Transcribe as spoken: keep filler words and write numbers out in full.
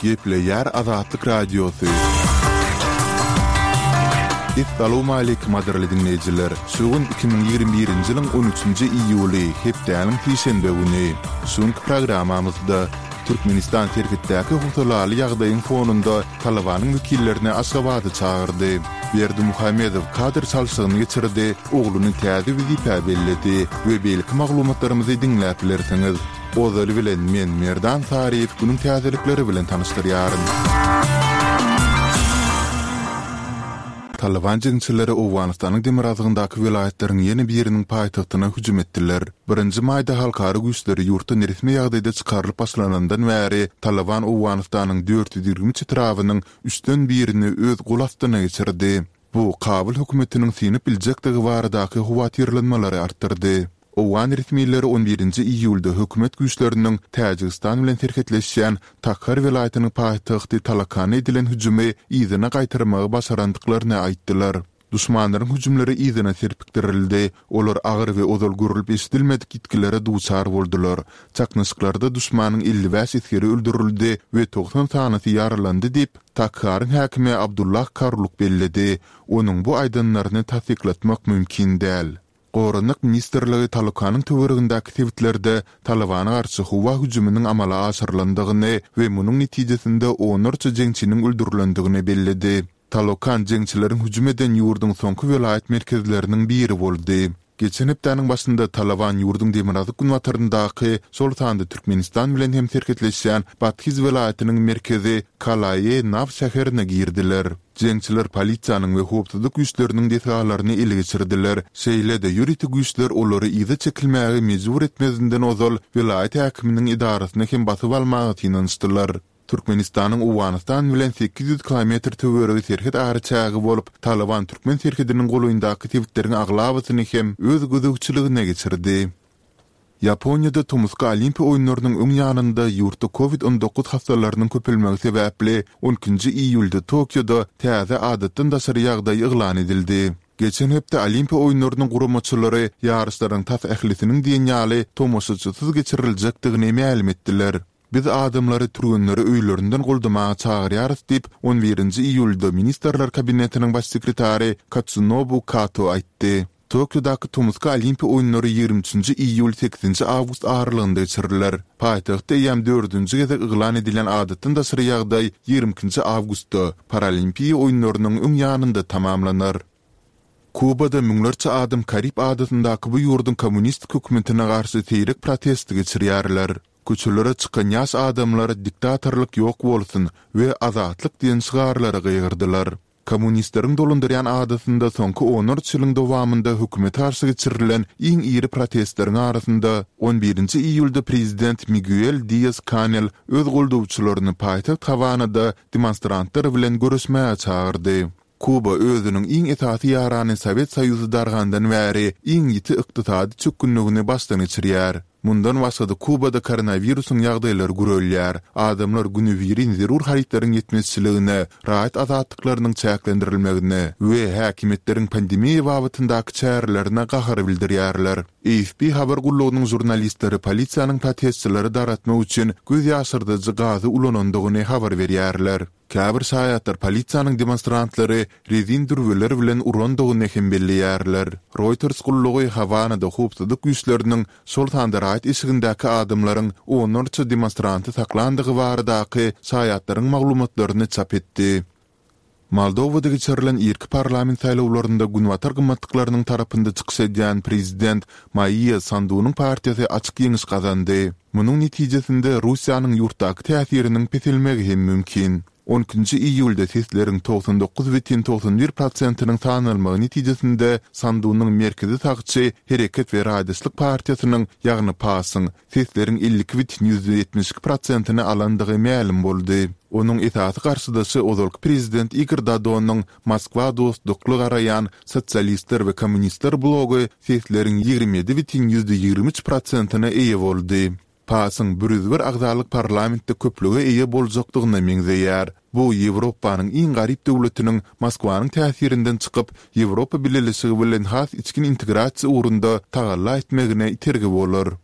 Gepleýär Azatlyk Radiosy. Essalawmaleýkim gadyrly diňleýjiler! Şu gün iki müň ýigrimi birinji ýylyň on üçünji iýuly, hepdäniň sişenbe güni. Şu günki programmamyzda Türkmenistan serhetdäki howsalaly ýagdaýyň fonunda Talybanyň wekillerini Aşgabada çagyrdy. Berdimuhamedow kadr çalşygyny geçirdi, ogluny täze wezipä belledi we beýleki maglumatlarymyzy diňläp bilersiňiz. Ozaly bilen men, Merdan Saryýew günüň täzelikleri bilen tanyşdyrýaryn. Talyban jeňçileri Owganystanyň demirgazygyndaky welaýatlaryň ýene biriniň paýtagtyna hüjüm etdiler. Birinji maýda halkara güýçleri ýurtdan resmi ýagdaýda çykarylyp başlanandan bäri Talyban Owganystanyň dört ýüz ýigrimi üç etrabynyň üçden birini öz gol astyna geçirdi. Bu Kabul hökümetiniň synyp biljekdigi baradaky howatyrlanmalary artdyrdy. Owgan resmileri on birinji iýulda hökümet güýçleriniň Täjigistan bilen serhetleşýän Takhar welaýatynyň paýtagty Talakana edilen hüjümi yzyna gaýtarmagy başarandyklaryny aýtdylar. Duşmanlaryň hüjümleri yzyna serpikdirildi, olar agyr we ozal görlüp-eşidilmedik ýitgilere duçar boldular. Çaknyşyklarda duşmanyň elli bäş esgeri öldürildi we togsan sanysy ýaralandy diýip, Takharyň häkimi Abdullah Karluk belledi. Onuň bu aýdanlaryny tassyklatmak mümkin däl. Goranmak ministrligi Talukanyň töweregindäki sebitlerde Talybana garşy howa hüjüminiň amala aşyrylandygyny we munuň netijesinde onlarça jeňçiniň öldürilendigini belledi. Talokan jeňçileriň hüjüm eden ýurduň soňky welaýat merkezleriniň biri boldy. Geçen hepdäniň başynda Talaban ýurduň demirgazyk-günbataryndaky, şol sanda Türkmenistan bilen hem serhetleşýän Bathyz welaýatynyň merkezi Kalae-Naw şäherine girdiler. Jeňçiler polisiýanyň we howpsuzlyk güýçleriniň desgalaryny ele geçirdiler. Şeýle-de, ýörite güýçler olary yza çekilmäge mejbur etmezinden ozal welaýat häkiminiň edarasyny hem basyp almaga synanyşdylar. Türkmenistanyň Owganystan bilen sekiz ýüz kilometr töweregi serhet araçägi bolup, Talyban türkmen serhediniň golaýyndaky sebitleriň aglabasyny hem öz gözegçiligine geçirdi. Ýaponiýada tomusky Olimpiýa oýunlarynyň öň ýanynda ýurtda Covid on dokuz hassalarynyň köpelmegi sebäpli on ikinji iýulda Tokioda täze adatdan daşary ýagdaý yglan edildi. Geçen hepde Olimpiýa oýunlarynyň guramaçylary ýaryşlaryň tas ählisiniň diýen ýaly tomaşaçysyz geçiriljekdigini mälim etdiler. Biz adamlary türgenleri öýlerinden goldamaga çagyrýarys diýip, on birinji iýulda Ministrler Kabinetiniň baş sekretary Katsunobu Kato aýtdy. Tokiodaky tomusky Olimpiýa oýunlary ýigrimi üçünji iýul-sekizinji awgust aralygynda geçiriler. Paýtagtda eýýäm dördünji gezek yglan edilen adatdan daşary ýagdaý ýigrimi ikinji awgustda, Paralimpiýa oýunlarynyň öň ýanynda tamamlanar. Kubada müňlerçe adam Karib adasyndaky bu ýurduň kommunistik hökümetine garşy seýrek protest geçirýärler. Köçelere çykan ýaş adamlar Diktatorlyk ýok bolsun we Azatlyk diýen şygarlary gygyrdylar. Kommunistleriň dolandyrýan adasynda soňky onlarça ýylyň dowamynda hökümete garşy geçirilen iň iri protestleriň arasynda on birinji iýulda prezident Miguel Dias-Kanel öz goldawçylaryny paýtagt Hawanada demonstrantlar bilen görüşmäge çagyrdy. Kuba özüniň iň esasy ýarany Sowet Soýuzy dargandan bäri iň ýiti ykdysady çökgünligini başdan geçirýär. Mundan başga-da Kubada koronawirusyň ýagdaýlary gürelýär, adamlar günübirin zerur harytlaryň ýetmezçiligine, raýat azatlyklarynyň çäklendirilmegine we häkimiýetleriň pandemiýa babatyndaky çärelerine gahar bildirýärler. A F P habar gullugynyň žurnalistleri polisiýanyň protestçileri dargatmak üçin göz ýaşardyjy gazy ulanandygyny habar berýärler. Käbir şaýatlar polisiýanyň demonstrantlary rezin dürbüler bilen urandygyny hem belleýärler. Reuters gullugy Hawanada howpsuzlyk güýçleriniň, şol sanda raýat eşigindäki adamlaryň onlarça demonstranty saklandygy baradaky şaýatlaryň maglumatlaryny çap etdi. Moldowada geçirilen irki parlament saýlawlarynda günbatar gymmatlyklarynyň tarapynda çykyş edýän prezident Maýa Sandunyň partiýasy açyk ýeňiş gazandy. Munuň netijesinde Russiýanyň ýurtdaky täsiriniň peselmegi hem mümkin. On ikinji iýulda sesleriň togsan dokuz bütin togsan bir prosentiniň sanalmagy netijesinde Sandunyň merkezi sagçy Hereket we raýdaşlyk partiýasynyň, ýagny PAS-yň, sesleriň elli iki bütin ýüzde ýetmiş iki prosentini alandygy mälim boldy. Onuň esasy garşydaşy ozalky prezident Igor Dodonyň Moskwa dostlukly garaýan Sosialistler we kommunistler blogy sesleriň ýigrimi ýedi bütin ýüzde ýigrimi üç prosentine eýe boldy. PAS-yň bir ýüz bir agzalyk parlamentde köplüge eýe boljakdygyna meňzeýär. Bu Ýewropanyň iň garyp döwletiniň Moskwanyň täsirinden çykyp, Ýewropa Bileleşigi bilen has içgin integrasiýa ugrunda tagalla etmegine itergi bolar.